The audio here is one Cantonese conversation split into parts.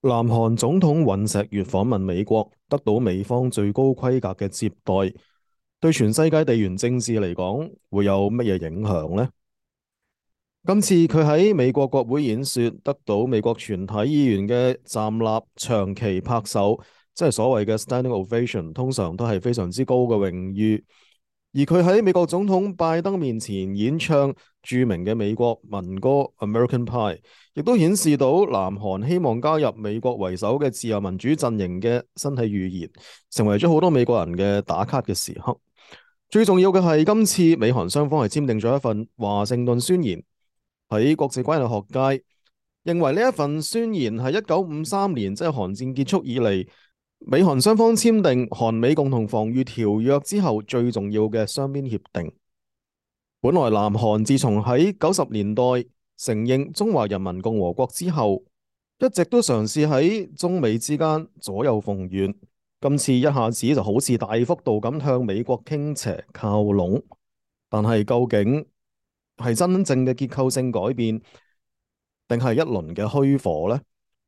南韓總統尹錫悅訪問美國，得到美方最高規格嘅接待，對全世界地緣政治嚟講，會有乜嘢影響呢？今次佢喺美國國會演說，得到美國全體議員嘅站立長期拍手，即係所謂嘅 standing ovation，通常都係非常之高嘅榮譽。而佢喺美國總統拜登面前演唱著名嘅美國民歌《American Pie》，亦都顯示到南韓希望加入美國為首嘅自由民主陣營嘅身體語言，成為咗好多美國人嘅打卡嘅時刻。最重要嘅係，今次美韓雙方係簽訂咗一份華盛頓宣言。喺國際關係學界認為呢一份宣言係1953年，即係韓戰結束以嚟，美韓雙方簽訂韓美共同防禦條約之後最重要嘅雙邊協定。本來南韓自從喺90年代承認中華人民共和國之後，一直都嘗試喺中美之間左右逢源。今次一下子就好似大幅度咁向美國傾斜靠攏，但係究竟係真正嘅結構性改變，定係一輪嘅虛火呢？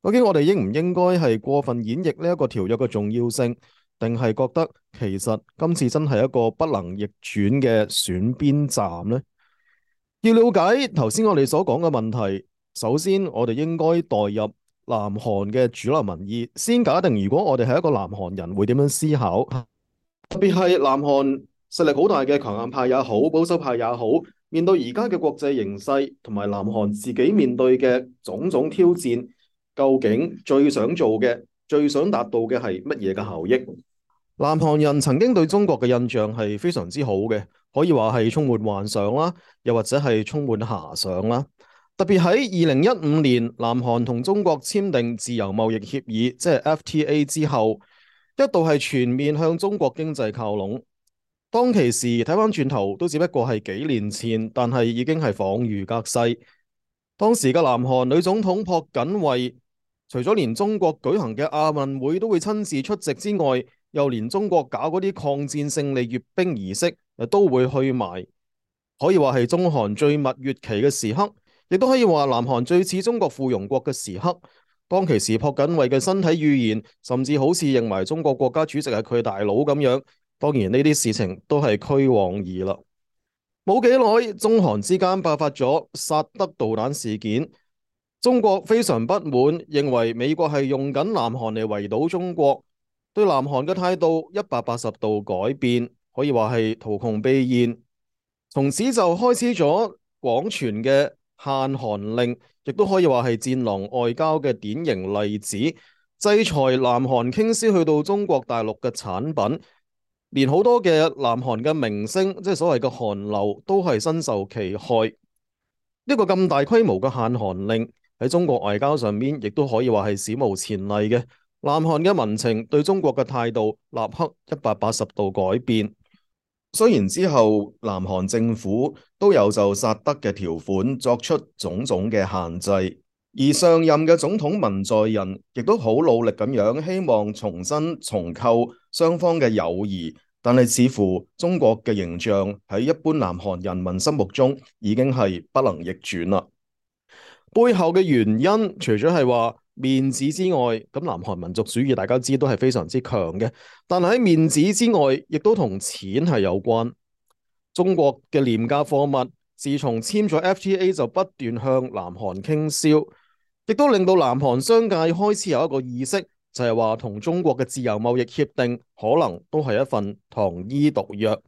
究竟我哋應唔應該係過分演繹呢一個條約嘅重要性，定係覺得其實今次真係一個不能逆轉嘅選邊站呢？要了解頭先我哋所講嘅問題，首先我哋應該代入南韓嘅主流民意，先假定如果我哋係一個南韓人會點樣思考，特別係南韓實力好大嘅強硬派也好，保守派也好，面對而家嘅國際形勢同埋南韓自己面對嘅種種挑戰，究竟最想做嘅、最想達到嘅係乜嘢嘅效益？南韓人曾經對中國嘅印象係非常之好嘅，可以話係充滿幻想啦，又或者係充滿遐想啦。特別喺2015年，南韓同中國簽訂自由貿易協議，即係 FTA 之後，一度係全面向中國經濟靠攏。當其時睇返轉頭，都只不過係幾年前，但係已經係恍如隔世。當時嘅南韓女總統朴槿惠，除咗連中國舉行嘅亞運會都會親自出席之外，又連中國搞嗰啲抗戰勝利閱兵儀式都會去埋，可以話係中韓最蜜月期嘅時刻，亦都可以話南韓最似中國附庸國嘅時刻。當其時朴槿惠嘅身體語言，甚至好似認為中國國家主席係佢大佬咁樣。當然呢啲事情都係虛妄而啦。冇幾耐，中韓之間爆發咗薩德導彈事件，中國非常不滿，認為美國係用緊南韓嚟圍堵中國。對南韓嘅態度180度改變，可以話係圖窮匕現。從此就開始咗廣傳嘅限韓令，亦都可以話係戰狼外交嘅典型例子。制裁南韓傾銷去到中國大陸嘅產品，連好多嘅南韓嘅明星，即係所謂嘅韓流，都係身受其害。呢個咁大規模嘅限韓令喺中國外交上面，亦都可以話係史無前例嘅。南韓嘅民情對中國嘅態度立刻180度改變。雖然之後南韓政府都有就薩德嘅條款作出種種嘅限制，而上任嘅總統文在寅亦都好努力咁樣希望重新重構雙方嘅友誼，但係似乎中國嘅形象喺一般南韓人民心目中已經係不能逆轉啦。背後嘅原因除咗係話面子之外，咁南韓民族主義大家知都係非常之強嘅，但係喺面子之外，亦都同錢係有關。中國嘅廉價貨物自從簽咗 FTA 就不斷向南韓傾銷，亦都令到南韓商界開始有一個意識，就係話同中國嘅自由貿易協定可能都係一份糖衣毒藥。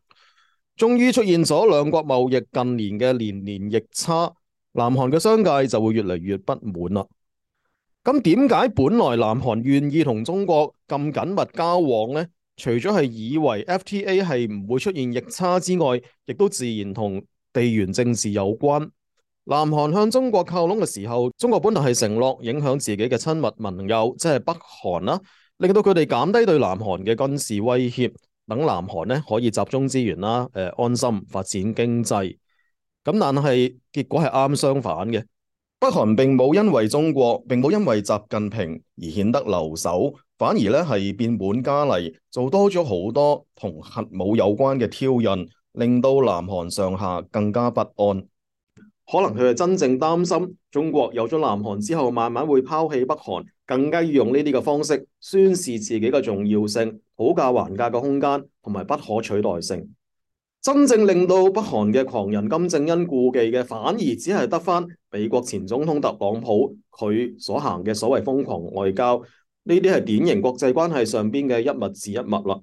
終於出現咗兩國貿易近年嘅年年逆差，南韓嘅商界就會越嚟越不滿啦。咁點解本來南韓願意同中國咁緊密交往呢？除咗係以為 FTA 係唔會出現逆差之外，亦都自然同地緣政治有關。南韓向中國靠攏嘅時候，中國本來係承諾影響自己嘅親密盟友，即係北韓啦，令到佢哋減低對南韓嘅軍事威脅，等南韓呢可以集中資源啦，安心發展經濟。咁但係結果係啱相反嘅。北韓並冇因為中國，並冇因為習近平而顯得留守，反而咧係變本加厲，做多咗好多同核武有關嘅挑釁，令到南韓上下更加不安。可能佢係真正擔心中國有咗南韓之後，慢慢會拋棄北韓，更加要用呢啲嘅方式宣示自己嘅重要性、討價還價嘅空間同埋不可取代性。真正令到北韓嘅狂人金正恩顧忌嘅，反而只係得返美國前總統特朗普佢所行嘅所謂瘋狂外交，呢啲係典型國際關係上邊嘅一物治一物啦。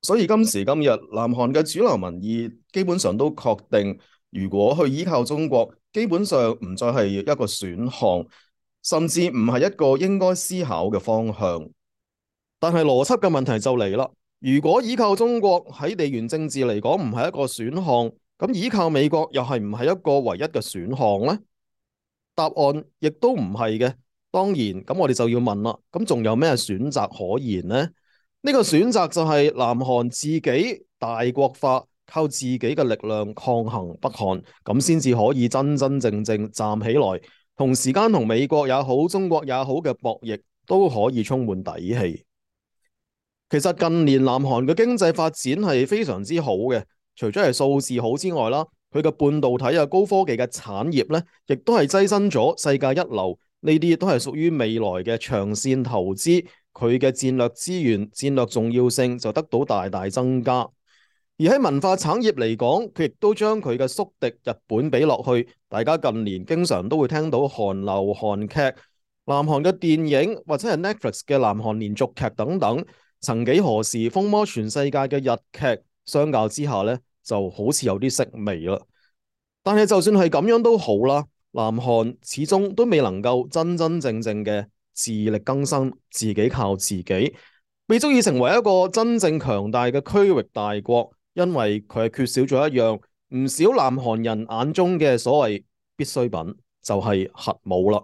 所以今時今日，南韓嘅主流民意基本上都確定，如果去依靠中國，基本上唔再係一個選項，甚至唔係一個應該思考嘅方向。但係邏輯嘅問題就嚟啦。如果依靠中國喺地緣政治嚟講唔係一個選項，咁依靠美國又係唔係一個唯一嘅選項呢？答案亦都唔係嘅。當然，咁我哋就要問啦，咁仲有咩選擇可言呢？呢個選擇就係南韓自己大國化，靠自己嘅力量抗衡北韓，咁先至可以真真正正站起來，同時間同美國也好、中國也好嘅博弈都可以充滿底氣。其實近年南韓嘅經濟發展係非常之好嘅，除咗係數字好之外啦，佢嘅半導體啊、高科技嘅產業咧，亦都係躋身咗世界一流。呢啲都係屬於未來嘅長線投資，佢嘅戰略資源、戰略重要性就得到大大增加。而喺文化產業嚟講，佢亦都將佢嘅宿敵日本比落去。大家近年經常都會聽到韓流、韓劇、南韓嘅電影或者係 Netflix 嘅南韓連續劇等等。曾幾何時風靡全世界嘅日劇，相較之下呢，就好似有啲式微啦。但係就算係咁樣都好啦，南韓始終都未能夠真真正正嘅自力更生，自己靠自己，未足以成為一個真正強大嘅區域大國，因為佢係缺少咗一樣唔少南韓人眼中嘅所謂必需品，就係核武啦。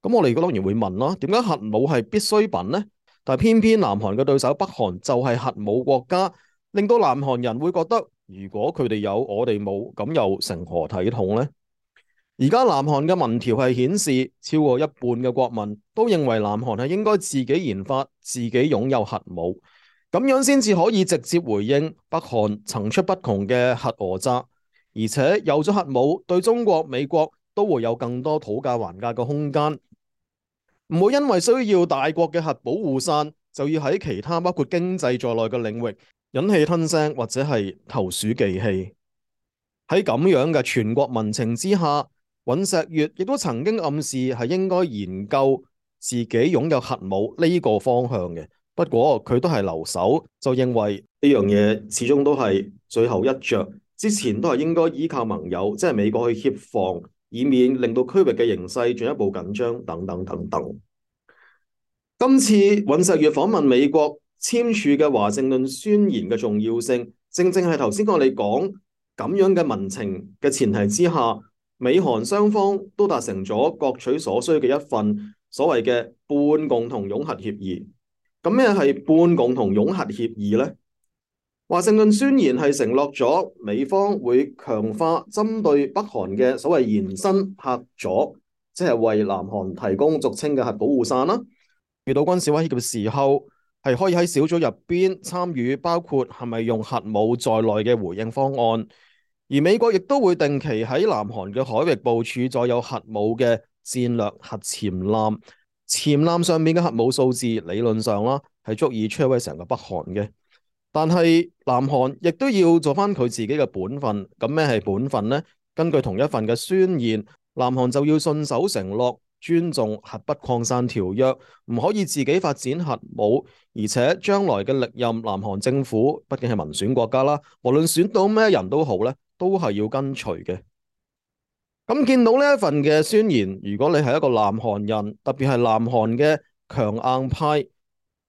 咁我哋當然會問啦，點解核武係必需品呢？但偏偏南韓嘅對手北韓就係核武國家，令到南韓人會覺得，如果佢哋有我哋冇，咁又成何體統呢？而家南韓嘅民調係顯示，超過一半嘅國民都認為南韓係應該自己研發、自己擁有核武，咁樣先至可以直接回應北韓層出不窮嘅核訛詐，而且有咗核武，對中國、美國都會有更多討價還價嘅空間。唔會因為需要大國嘅核保護傘，就要喺其他包括經濟在內嘅領域忍氣吞聲或者係投鼠忌器。喺咁樣嘅全國民情之下，尹錫悅亦都曾經暗示係應該研究自己擁有核武呢個方向嘅。不過佢都係留守，就認為呢樣嘢始終都係最後一着，之前都係應該依靠盟友，即係美國去協防，以免令到區域嘅形勢進一步緊張等等等等。今次尹錫悅訪問美國簽署嘅華盛頓宣言嘅重要性，正正係頭先我哋講咁樣嘅民情嘅前提之下，美韓雙方都達成咗各取所需嘅一份所謂嘅半共同擁核協議。咁咩係半共同擁核協議呢？華盛頓宣言係承諾咗美方會強化針對北韓嘅所謂延伸嚇阻，即係為南韓提供俗稱嘅核保護傘啦。遇到軍事威脅嘅時候，係可以喺小組入邊參與，包括係咪用核武在內嘅回應方案。而美國亦都會定期喺南韓嘅海域部署載有核武嘅戰略核潛艦，潛艦上面嘅核武數字理論上啦係足以摧毀成個北韓嘅。但係南韓亦都要做翻佢自己嘅本分。咁咩係本分呢？根據同一份嘅宣言，南韓就要信守承諾，尊重核不擴散條約，唔可以自己發展核武，而且將來嘅歷任南韓政府畢竟係民選國家啦，無論選到咩人都好咧，都係要跟隨嘅。咁見到呢一份嘅宣言，如果你係一個南韓人，特別係南韓嘅強硬派，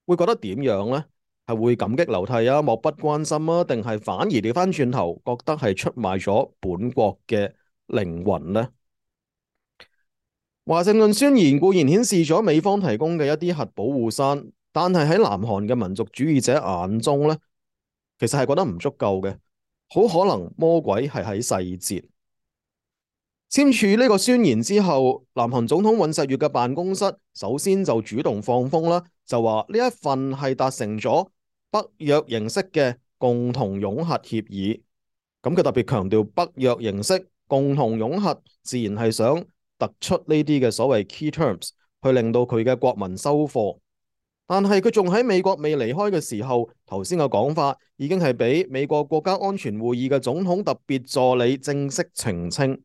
會覺得點樣呢？係會感激流涕啊，漠不關心啊，定係反而調翻轉頭覺得係出賣咗本國嘅靈魂呢？華盛頓宣言固然顯示咗美方提供嘅一啲核保護傘，但係喺南韓嘅民族主義者眼中呢，其實係覺得唔足夠嘅，好可能魔鬼係喺細節。簽署呢個宣言之後，南韓總統尹錫悅嘅辦公室首先就主動放風啦，就話呢一份係達成咗北約形式嘅共同擁核協議。咁佢特別強調北約形式共同擁核，自然係想突出呢啲嘅所謂 key terms，去令到佢嘅國民收貨。但係佢仲喺美國未離開嘅時候，頭先嘅講法已經係俾美國國家安全會議嘅總統特別助理正式澄清。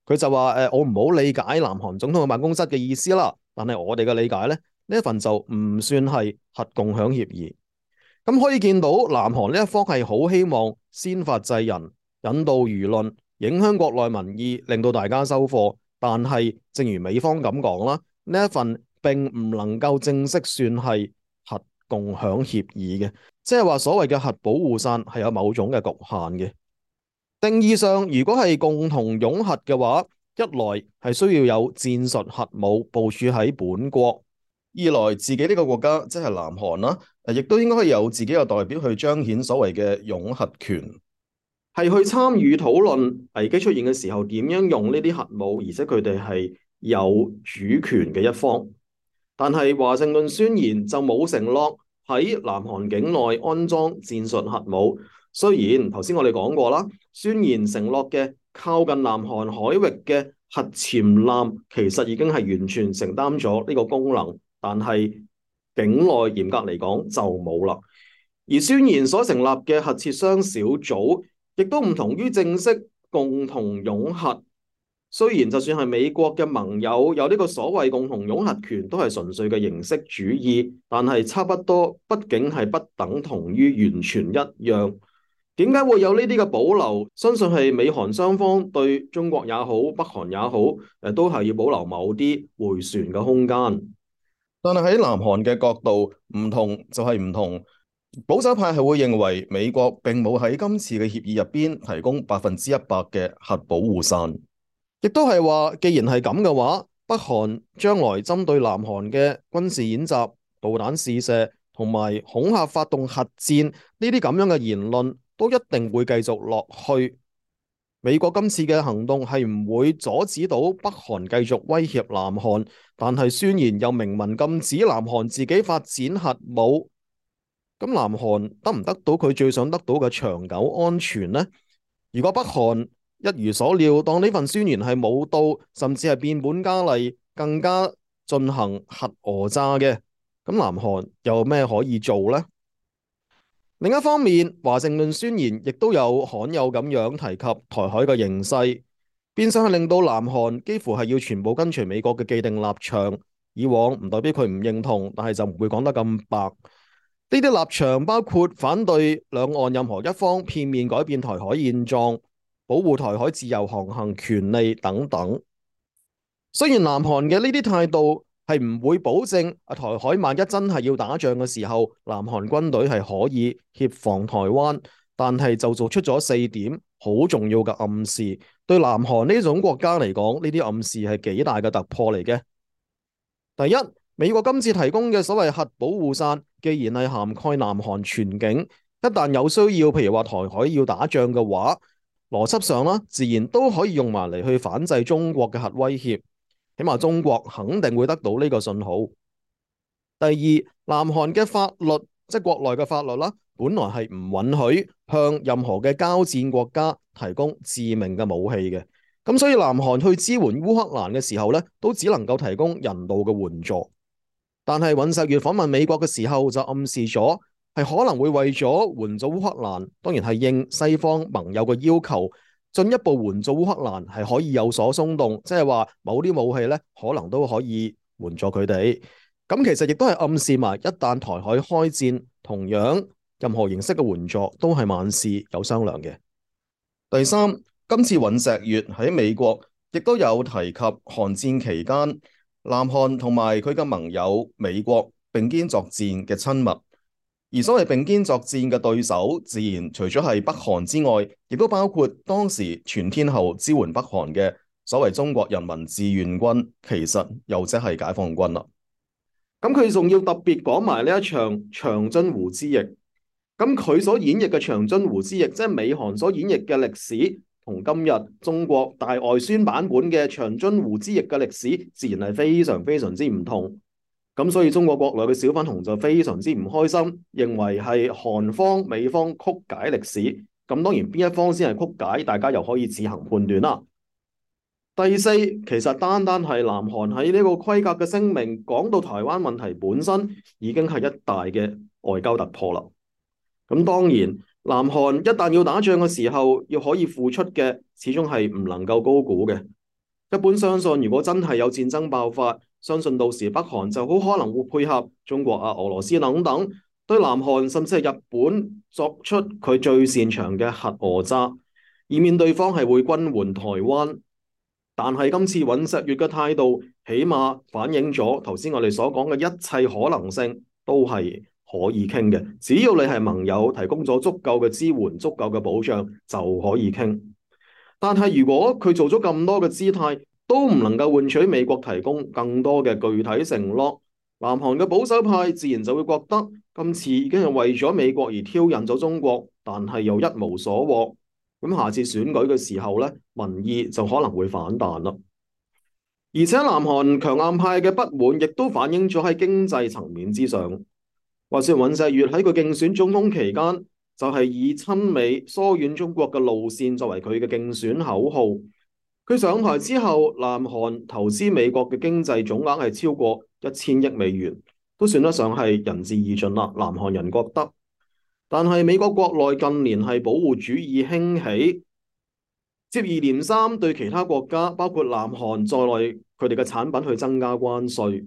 佢就話：我唔好理解南韓總統嘅辦公室嘅意思啦，但係我哋嘅理解呢，呢一份就唔算係核共享協議。咁可以見到南韓呢一方係好希望先發制人，引導輿論，影響國內民意，令到大家收貨。但係正如美方咁講啦，呢一份並唔能夠正式算係核共享協議嘅，即係話所謂嘅核保護傘係有某種嘅局限嘅。定義上，如果係共同擁核嘅話，一來係需要有戰術核武部署喺本國，二來自己呢個國家即係南韓啦，亦都應該可以有自己嘅代表去彰顯所謂嘅擁核權，係去參與討論危機出現嘅時候點樣用呢啲核武，而且佢哋係有主權嘅一方。但係華盛頓宣言就冇承諾喺南韓境內安裝戰術核武。雖然頭先我哋講過啦，宣言承諾嘅靠近南韓海域嘅核潛艦其實已經係完全承擔咗呢個功能，但係境內嚴格嚟講就冇啦。而宣言所成立嘅核設商小組，亦都唔同於正式共同擁核。雖然就算係美國嘅盟友有呢個所謂共同擁核權，都係純粹嘅形式主義，但係差不多，畢竟係不等同於完全一樣。點解會有呢啲嘅保留？相信係美韓雙方對中國也好，北韓也好，都係要保留某啲迴旋嘅空間。但係喺南韓嘅角度，唔同就係唔同。保守派係會認為美國並冇喺今次嘅協議入邊提供100%嘅核保護傘，亦都係話，既然係咁嘅話，北韓將來針對南韓嘅軍事演習、導彈試射同埋恐嚇發動核戰呢啲咁樣嘅言論，都一定會繼續落去。美國今次嘅行動係唔會阻止到北韓繼續威脅南韓，但係宣言又明文禁止南韓自己發展核武。咁南韓得唔得到佢最想得到嘅長久安全呢？如果北韓一如所料，當呢份宣言係冇到，甚至係變本加厲，更加進行核訛詐嘅，咁南韓有咩可以做呢？另一方面，華盛頓宣言亦都有罕有咁樣提及台海嘅形勢，變相係令到南韓幾乎係要全部跟隨美國嘅既定立場。以往唔代表佢唔認同，但係就唔會講得咁白。呢啲立場包括反對兩岸任何一方片面改變台海現狀，保護台海自由航行權利等等。雖然南韓嘅呢啲態度係唔會保證台海萬一真係要打仗嘅時候，南韓軍隊係可以協防台灣，但係就做出咗4點好重要嘅暗示。對南韓呢種國家嚟講，呢啲暗示係幾大嘅突破嚟嘅。第一，美國今次提供嘅所謂核保護傘，既然係涵蓋南韓全境，一旦有需要，譬如話台海要打仗嘅話，邏輯上啦，自然都可以用埋嚟去反制中國嘅核威脅。起碼中國肯定會得到呢個信號。第二，南韓嘅法律，即係國內嘅法律啦，本來係唔允許向任何嘅交戰國家提供致命嘅武器嘅。咁所以南韓去支援烏克蘭嘅時候呢，都只能夠提供人道嘅援助。但係尹錫悅訪問美國嘅時候就暗示咗，係可能會為咗援助烏克蘭，當然係應西方盟友嘅要求，進一步援助烏克蘭係可以有所鬆動，即係話某啲武器咧可能都可以援助佢哋。咁其實亦都係暗示埋，一旦台海開戰，同樣任何形式嘅援助都係萬事有商量嘅。第三，今次尹錫悅喺美國亦都有提及韓戰期間南韓同埋佢嘅盟友美國並肩作戰嘅親密。而所謂並肩作戰嘅對手，自然除咗係北韓之外，亦都包括當時全天候支援北韓嘅所謂中國人民志願軍，其實又即係解放軍啦。咁佢仲要特別講埋呢一場長津湖之役。咁佢所演繹嘅長津湖之役，即係美韓所演繹嘅歷史，同今日中國大外宣版本嘅長津湖之役嘅歷史，自然係非常非常之唔同。咁所以中國國內嘅小粉紅就非常之唔開心，認為係韓方、美方曲解歷史。咁當然邊一方先係曲解，大家又可以自行判斷啦。第四，其實單單係南韓喺呢個規格嘅聲明講到台灣問題本身，已經係一大嘅外交突破啦。咁當然，南韓一旦要打仗嘅時候，要可以付出嘅，始終係唔能夠高估嘅。一般相信，如果真係有戰爭爆發，相信到時北韓就好可能會配合中國啊、俄羅斯等等，對南韓甚至係日本作出佢最擅長嘅核訛詐，以免對方係會軍援台灣。但係今次尹錫悅嘅態度，起碼反映咗頭先我哋所講嘅一切可能性都係可以傾嘅。只要你係盟友，提供咗足夠嘅支援、足夠嘅保障，就可以傾。但係如果佢做咗咁多嘅姿態，都唔能夠換取美國提供更多嘅具體承諾，南韓嘅保守派自然就會覺得今次已經係為咗美國而挑釁咗中國，但係又一無所獲。咁下次選舉嘅時候咧，民意就可能會反彈啦。而且南韓強硬派嘅不滿，亦都反映咗喺經濟層面之上。話說尹錫悅喺佢競選總統期間，就係以親美疏遠中國嘅路線作為佢嘅競選口號。佢上台之後，南韓投資美國嘅經濟總額係超過1000億美元，都算得上係仁至義盡啦。南韓人覺得。但係美國國內近年係保護主義興起，接二連三對其他國家，包括南韓在內，佢哋嘅產品去增加關稅。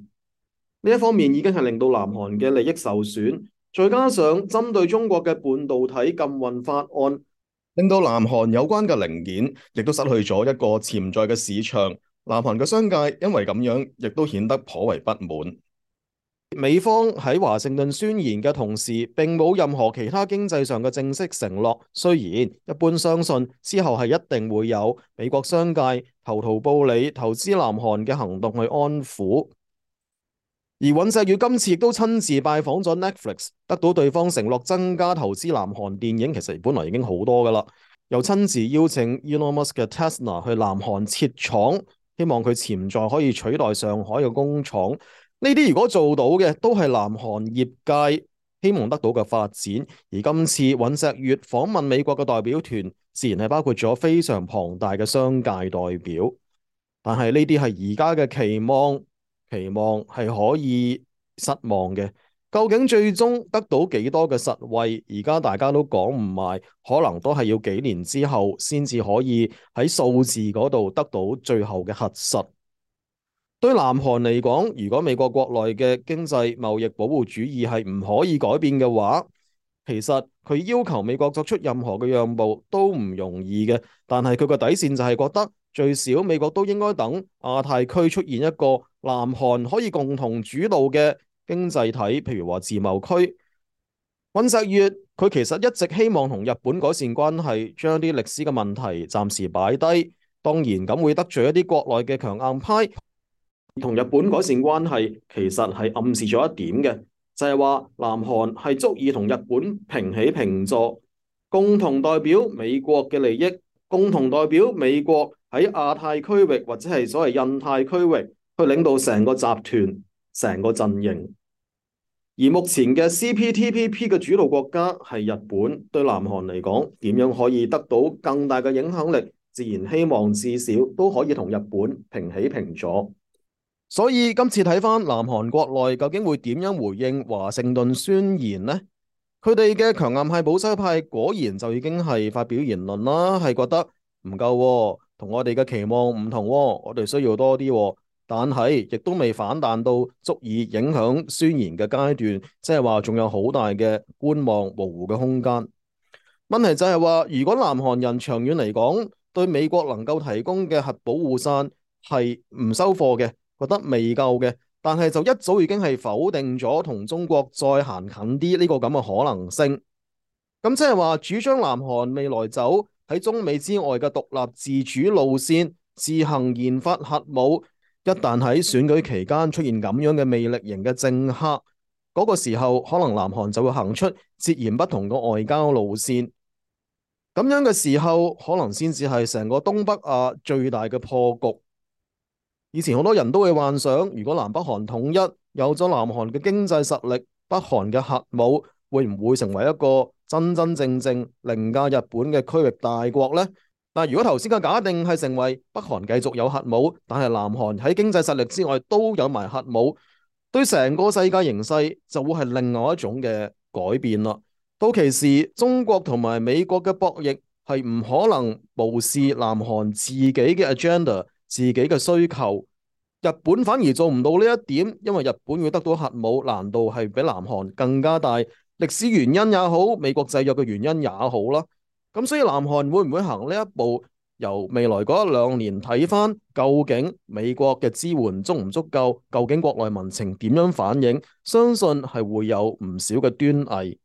呢一方面已經係令到南韓嘅利益受損，再加上針對中國嘅半導體禁運法案，令到南韓有關嘅零件亦都失去咗一個潛在嘅市場。南韓嘅商界因為咁樣，亦都顯得頗為不滿。美方喺華盛頓宣言嘅同時，並冇任何其他經濟上嘅正式承諾。雖然一般相信之後係一定會有美國商界投桃報李投資南韓嘅行動去安撫。而尹錫悅今次亦都親自拜訪咗 Netflix， 得到對方承諾增加投資南韓電影，其實本來已經好多噶啦。又親自邀請 Elon Musk 嘅 Tesla 去南韓設廠，希望佢潛在可以取代上海嘅工廠。呢啲如果做到嘅，都係南韓業界希望得到嘅發展。而今次尹錫悅訪問美國嘅代表團，自然係包括咗非常龐大嘅商界代表。但係呢啲係而家嘅期望，期望係可以失望嘅。究竟最終得到幾多嘅實惠，而家大家都講唔埋，可能都係要幾年之後先至可以喺數字嗰度得到最後嘅核實。對南韓嚟講，如果美國國內嘅經濟貿易保護主義係唔可以改變嘅話，其實佢要求美國作出任何嘅讓步都唔容易嘅。但係佢個底線就係覺得最少美國都應該等亞太區出現一個南韓可以共同主導嘅經濟體，譬如話自貿區。尹錫悅佢其實一直希望同日本改善關係，將啲歷史嘅問題暫時擺低。當然咁會得罪一啲國內嘅強硬派。同日本改善關係，其實係暗示咗一點嘅，就係話南韓係足以同日本平起平坐，共同代表美國嘅利益，共同代表美國喺亞太區域或者係所謂印太區域去領導成個集團、成個陣營。而目前嘅 CPTPP 嘅主導國家係日本，對南韓嚟講，點樣可以得到更大嘅影響力？自然希望至少都可以同日本平起平坐。所以今次睇返南韓國內究竟會點樣回應華盛頓宣言呢？佢哋嘅強硬派保守派果然就已經係發表言論啦，係覺得唔夠喎，同我哋嘅期望唔同喎，我哋需要多啲喎，但係亦都未反彈到足以影響宣言嘅階段，即係話仲有好大嘅觀望模糊嘅空間。問題就係話，如果南韓人長遠嚟講對美國能夠提供嘅核保護傘係唔收貨嘅，覺得未夠嘅，但係就一早已經係否定咗同中國再行近啲呢個咁嘅可能性。咁即係話主張南韓未來走喺中美之外嘅獨立自主路線，自行研發核武。一旦喺選舉期間出現咁樣嘅魅力型嘅政客，嗰個時候可能南韓就會行出截然不同嘅外交路線。咁樣嘅時候，可能先至係成個東北亞最大嘅破局。以前好多人都會幻想，如果南北韓統一，有咗南韓嘅經濟實力，北韓嘅核武會唔會成為一個真真正正凌駕日本嘅區域大國呢？但如果頭先嘅假定係成為北韓繼續有核武，但係南韓喺經濟實力之外都有埋核武，對成個世界形勢就會係另外一種嘅改變啦。到其時，中國同埋美國嘅博弈係唔可能無視南韓自己嘅 agenda、自己嘅需求。日本反而做唔到呢一點，因為日本要得到核武難度係比南韓更加大。歷史原因也好，美國制約嘅原因也好啦。咁所以南韓會唔會行呢一步？由未來嗰一兩年睇翻，究竟美國嘅支援足唔足夠？究竟國內民情點樣反應？相信係會有唔少嘅端倪。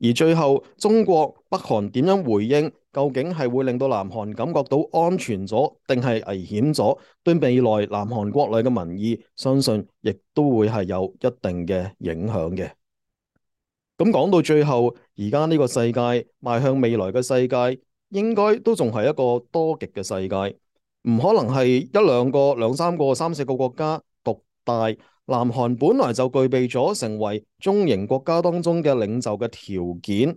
而最後，中國、北韓點樣回應？究竟係會令到南韓感覺到安全咗，定係危險咗？對未來南韓國內嘅民意，相信亦都會係有一定嘅影響嘅。咁講到最後，而家呢個世界邁向未來嘅世界，應該都仲係一個多極嘅世界，唔可能係一兩個、兩三個、三四個國家獨大。南韓本來就具備咗成為中型國家當中嘅領袖嘅條件。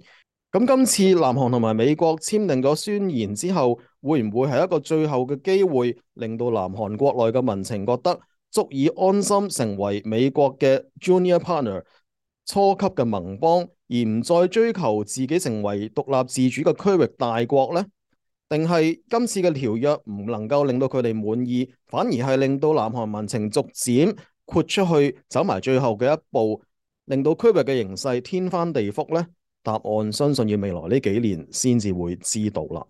咁今次南韓同埋美國簽訂咗宣言之後，會唔會係一個最後嘅機會，令到南韓國內嘅民情覺得足以安心成為美國嘅 junior partner、初級嘅盟邦，而唔再追求自己成為獨立自主嘅區域大國呢？定係今次嘅條約唔能夠令到佢哋滿意，反而係令到南韓民情逐漸豁出去，走埋最後嘅一步，令到區域嘅形勢天翻地覆呢？答案相信要未來呢幾年先至會知道啦。